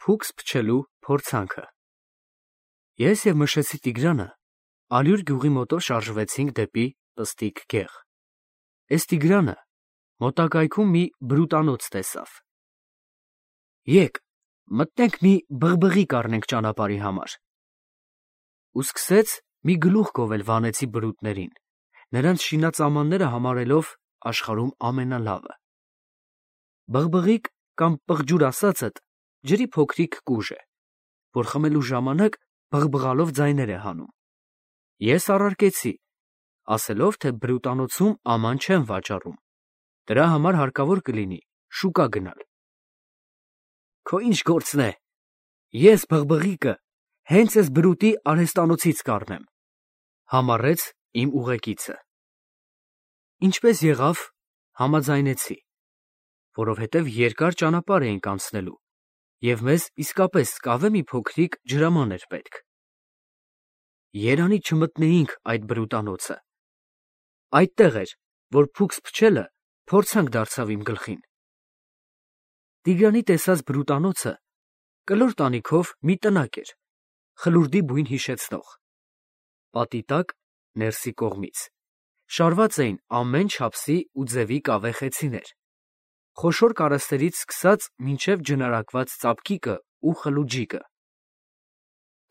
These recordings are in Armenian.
Փուքս փչելու փորձանքը։ Ես և Մշեցի Տիգրանը Ալյուր գյուղի մոտով շարժվեցինք դեպի Պստիկ գեղ։ Էս Տիգրանը մոտակայքում մի բրուտանոց տեսավ։ Եկ, մտնենք մի բղբղիկ առնենք ճանապարհի համար։ Ու սկսեց մի գլուխ գովել վանեցի բրուտներին, նրանց շինածամանները համարելով աշխարհում ամենալավը։ Բղբղիկ կամ պղջուր ասածդ ջրի փոքրիկ կուժ է, որ խմելու ժամանակ բղբղալով ձայներ է հանում։ Ես առարկեցի, ասելով, թե բրուտանոցում աման չեն վաճառում, դրա համար հարկավոր կլինի շուկա գնալ։ Քո ինչ գործն է, ես բղբղիկը հենց էս բրուտի արհեստանոցից կառնեմ, համառեց իմ ուղեկիցը։ Ինչպես եղավ, համաձայնեցի, որովհետև երկար ճանապարհ էինք անցնելու, և մեզ իսկապես կավե մի փոքրիկ ջրաման էր պետք։ Երանի չմտնեինք այդ բրուտանոցը։ Այդտեղ էր, որ փուքս փչելը փորձանք դարձավ իմ գլխին։ Տիգրանի տեսած բրուտանոցը կլոր տանիքով մի տնակ էր, խլուրդի բույն հիշեցնող։ Պատի տակ, ներսի կողմից, շարված էին ամեն չափսի ու ձևի կավե խեցիներ, խոշոր կարասներից սկսած մինչև ջնարակված ծափկիկը ու խլուջիկը։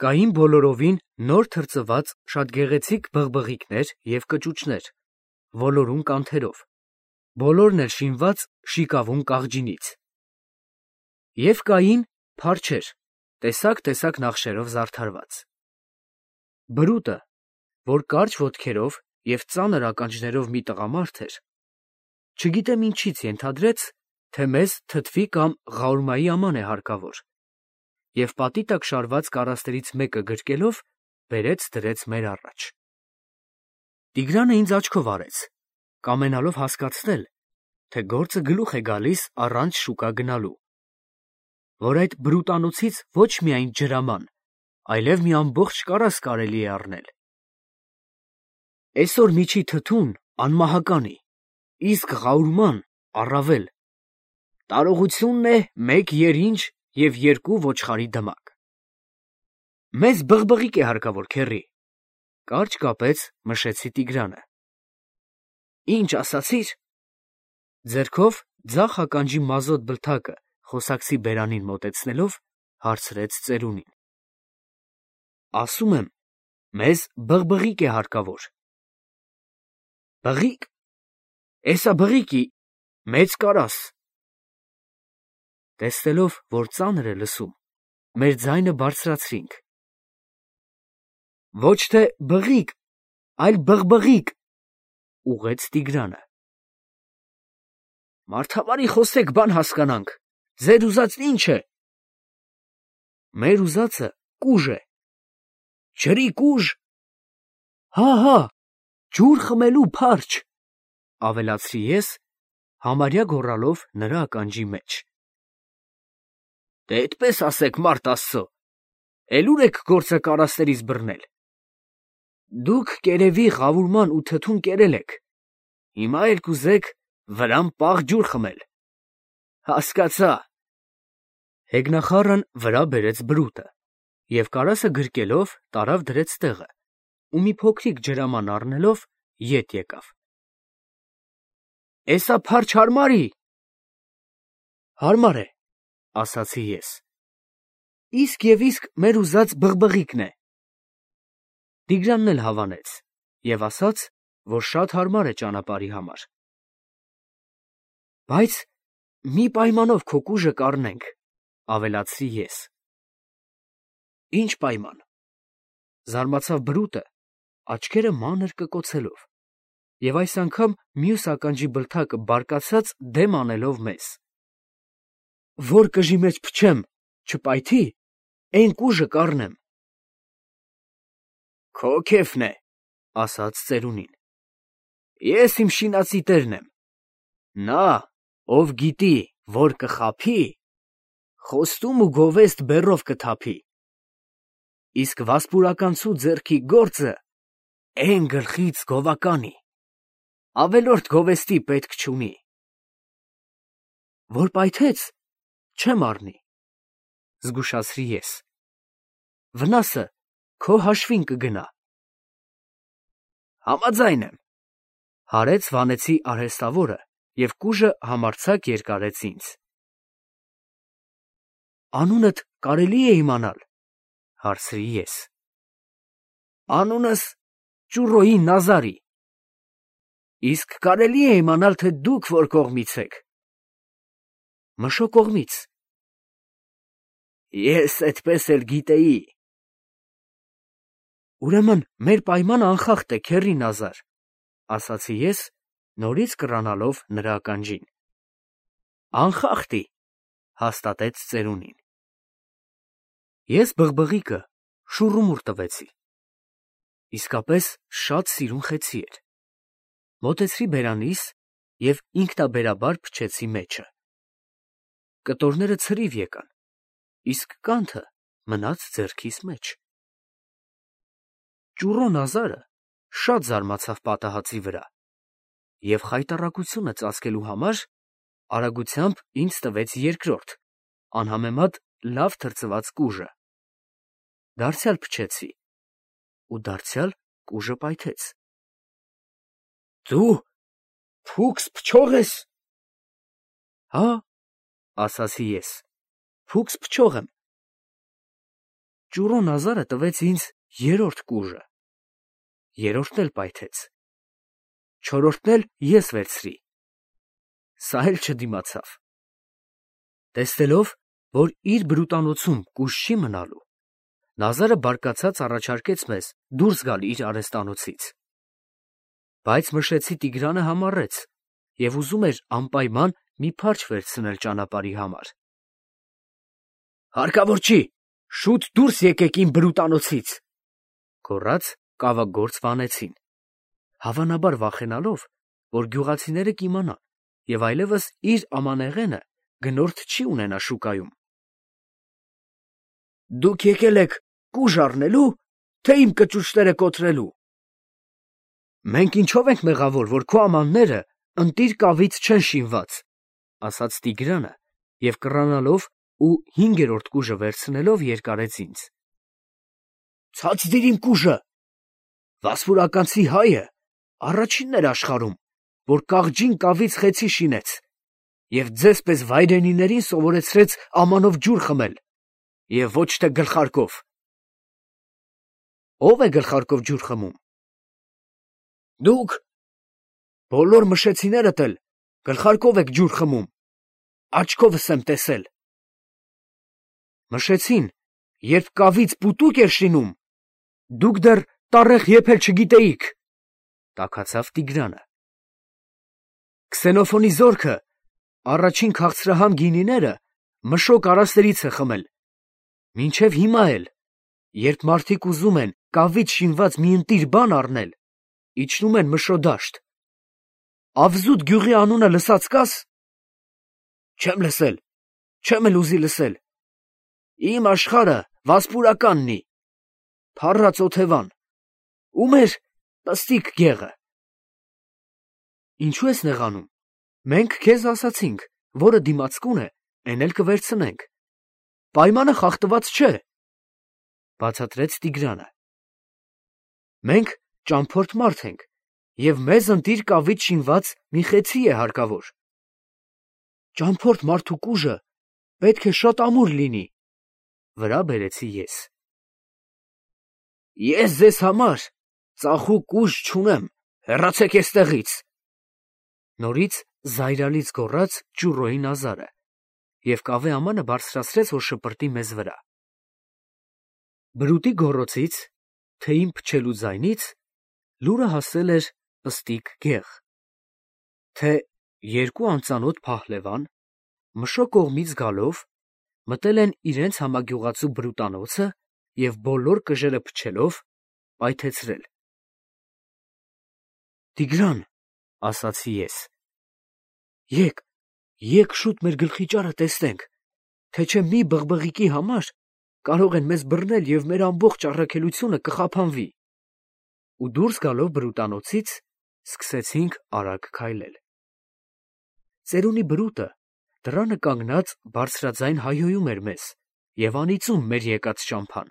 Կային բոլորովին նոր թրծված շատ գեղեցիկ բղբղիկներ և կճուճներ, ոլորուն կանթերով, բոլորն էլ շինված շիկավուն կաղջինից։ Եվ կային փարչեր, տեսակ նախշերով զարդարված։ Բրուտը, որ կարճ ոտքերով և ծանր ականջներով մի տղամարդ էր, չգիտեմ ինչից ենթադրեց, թե մեզ թթվի կամ ղաուրմայի աման է հարկավոր, և պատի տակ շարված կարասներից մեկը գրկելով բերեց դրեց մեր առաջ։ Տիգրանը ինձ աչքով արեց, կամենալով հասկացնել, թե գործը գլուխ է գալիս առանց շուկա գնալու, որ այդ բրուտանոցից ոչ միայն ջրաման, այլև մի ամբողջ կարաս կարելի է առնել։ Էսօր միջի թթուն անմահականի, իսկ ղաուրման առավել։ Տարողությունն է 1 երինջ և 2 ոչխարի դմակ։ Մեզ բղբղիկ է հարկավոր, քեռի, կարճ կապեց Մշեցի Տիգրանը։ Ինչ ասացիր։ Ձեռքով ձախ ականջի մազոտ բլթակը խոսակցի բերանին մոտեցնելով, հարցրեց ծերունին։ Ասում եմ, մեզ բղբղիկ է հարկավոր։ Բղի՞կ, էսա բղիկի, մեծ կարաս։ Տեսնելով, որ ծանր է լսում, մեր ձայնը բարձրացրինք։ Ոչ թե բղիկ, այլ բղբղիկ, ուղղեց Տիգրանը։ Մարդավարի խոսեք, բան հասկանանք, ձեր ուզածն ինչ է։ Մեր ուզածը կուժ է։ Ջրի կուժ։ Հա, ջուր խմելու փարչ, ավելացրի ես, համարյա գոռալով նրա ականջի մեջ։ Դե էդպես ասեք, մարդ Աստծո, էլ ուր եք գործը կարասներից բռնել։ Դուք կերևի ղավուրման ու թթուն կերել եք, հիմա էլ կուզեք վրան պաղ ջուր խմել։ Հասկացա։ Հեգնախառն վրա բերեց բրուտը և կարասը գրկելով տարավ դրեց տեղը ու մի փոքրիկ ջրաման առնելով ետ եկավ։ Էսա փարչ հարմարի։ Հարմար է, ասացի ես։ Իսկ և իսկ մեր ուզած բղբղիկն է։ Տիգրանն էլ հավանեց և ասաց, որ շատ հարմար է ճանապարհի համար։ Բայց մի պայմանով քո կուժը կառնենք, ավելացրի ես։ Ինչ պայման։ Զարմացավ բրուտը, աչքերը մանր կկոցելով, և այս անգամ մյուս ականջի բլթակը բարկացած դեմ անելով մեզ։ Որ կժի մեջ փչեմ, չպայթի, էն կուժը կառնեմ։ Քո քեֆն է, ասաց ծերունին։ Ես իմ շինածի տերն եմ։ Նա, ով գիտի, որ կխաբի, խոստում ու գովեստ բեռով կթափի։ Իսկ վասպուրականցու ձեռքի գործը էն գլխից գովականի, ավելորդ գովեստի պետք չունի։ Որ պայթեց, չեմ առնի։ զգուշացրի ես։ Վնասը քո հաշվին կգնա։ Համաձայն եմ, հարեց վանեցի արհեստավորը և կուժը համարձակ երկարեց ինձ։ Անունդ կարելի է իմանալ, հարցրի ես։ Անունս Ճուրոյի Նազարի։ Իսկ կարելի է իմանալ, թե դուք որ կողմից եք։ Մշո կողմից։ Ես այդպես էլ գիտեի։ Ուրեմն մեր պայմանը անխախտ է, քեռի Նազար, ասացի ես, նորից կռանալով նրա ականջին։ Անխախտի, հաստատեց ծերունին։ Ես բղբղիկը շուռումուռ տվեցի։ Իսկապես շատ սիրուն խեցի էր։ Մոտեցրի բերանիս և ինքնաբերաբար փչեցի մեջը։ Կտորները ցրիվ եկան, իսկ կանթը մնաց ձեռքիս մեջ։ Ճուրո Նազարը շատ զարմացավ պատահածի վրա և խայտառակությունը ծածկելու համար արագությամբ ինձ տվեց երկրորդ, անհամեմատ լավ թրծված կուժը։ Դարձյալ փչեցի, ու դարձյալ կուժը պայթեց։ Դու փուքս փչող ես։ Հա, ասացի ես, փուքս փչող եմ։ Ճուրո Նազարը տվեց ինձ երրորդ կուժը։ Երրորդն էլ պայթեց։ Չորրորդն էլ ես վերցրի։ Սա էլ չդիմացավ։ Տեսնելով, որ իր բրուտանոցում կուժ չի մնալու, Նազարը բարկացած առաջարկեց մեզ դուրս գալ իր արհեստանոցից։ Բայց մշեցի Տիգրանը համառեց և ուզում էր անպայման մի փարչ վերցնել ճանապարհի համար։ Հարկավոր չի, շուտ դուրս եկեք իմ բրուտանոցից, գոռաց կավագործ վանեցին, հավանաբար վախենալով, որ գյուղացիները կիմանան և այլևս իր ամանեղենը գնորդ չի ունենա շուկայում։ Դուք եկել եք կուժ առնելու, թե իմ կճուճները կոտրելու։ Մենք ինչով ենք մեղավոր, որ քո ամանները ընտիր կավից չեն շինված, ասաց Տիգրանը և կռանալով ու հինգերորդ կուժը վերցնելով երկարեց ինձ։ Ցած դիր իմ կուժը։ Վասպուրականցի հայը առաջինն էր աշխարհում, որ կաղջին կավից խեցի շինեց և ձեզ պես վայրենիներին սովորեցրեց ամանով ջուր խմել և ոչ թե գլխարկով։ Ո՞վ է գլխարկով ջուր խմում։ Դուք։ Բոլոր մշեցիներդ էլ գլխարկով եք ջուր խմում, աչքովս եմ տեսել։ Մշեցին, երբ կավից պուտուկ էր շինում, դուք դեռ տառեղ եփել չգիտեիք, տաքացավ Տիգրանը։ Քսենոֆոնի զորքը առաջին քաղցրահամ գինիները մշո կարասներից է խմել, մինչև հիմա էլ, երբ մարդիկ ուզում են կավից շինված մի ընտիր բան առնել, իջնում են մշո դաշտ։ Ավզուտ գյուղի անունը լսած կաս։ Չեմ լսել, չեմ էլ ուզի լսել։ Իմ աշխարհը վասպուրականնի, փառած օթևան, ու մեր պստիկ գեղը։ Ինչու ես նեղանում։ Մենք քեզ ասացինք, որը դիմացկուն է, էն էլ կվերցնենք։ Պայմանը խախտված չէ, բացատրեց Տիգրանը։ Մենք ճամփորդ մարդ ենք, և մեզ ընտիր կավից շինված մի խեցի է հարկավոր։ Ճամփորդ մարդու կուժը պետք է շատ ամուր լինի, վրա բերեցի ես։ Ես ձեզ համար ծախու կուժ չունեմ, հեռացեք էստեղից, նորից զայրալից գոռաց Ճուրոյի Նազարը և կավե ամանը բարձրացրեց, որ շպրտի մեզ վրա։ Բրուտի գոռոցից, թեյին փչելու ձայնից լուրը հասել էր պստիկ գեղ, թե երկու անծանոթ փահլևան, մշո կողմից գալով, մտել են իրենց համագյուղացու բրուտանոցը և բոլոր կժերը փչելով, պայթեցրել։ Տիգրան, ասացի ես, եկ շուտ մեր գլխիճարը տեսնենք, թե չէ մի բղբղիկի համար կարող են մեզ բռնել և մեր ամբողջ առաքելությունը կխափանվի։ Ու դուրս գալով բրուտանոցից, սկսեցինք արագ քայլել։ Ծերունի բրուտը դռանը կանգնած բարձրաձայն հայհոյում էր մեզ, և անիծում մեր եկած ճամփան։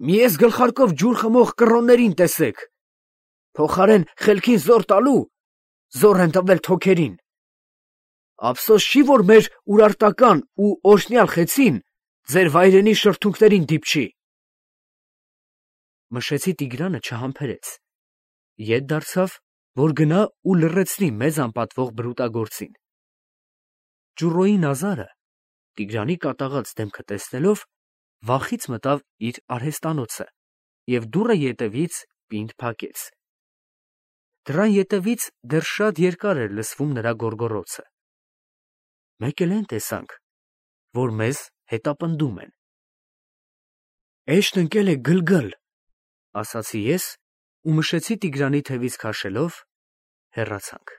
Մի ես գլխարկով ջուր խմող կռոներին տեսեք, փոխարեն խելքին զոռ տալու, զոռ են տվել թոքերին։ Ափսոս չի, որ մեր ուրարտական ու օրհնյալ խեցին ձեր վայրենի շրթունքներին դիպչի։ Մշեցի Տիգրանը չհամբերեց, ետ դարձավ, որ գնա ու լռեցնի մեզ անպատվող բրուտագործին։ Ճուռոյի Նազարը, Տիգրանի կատաղած դեմքը տեսնելով, վախից մտավ իր արհեստանոցը և դուռը ետևից պինդ փակեց։ Դռան ետևից դեռ շատ երկար էր լսվում նրա գոռգոռոցը։ Մեկ էլ էն տեսանք, որ մեզ հետապնդում են։ Էշտ ընկել է գլգլ, ասացի ես ու մշեցի Տիգրանի թևից քաշելով հեռացանք։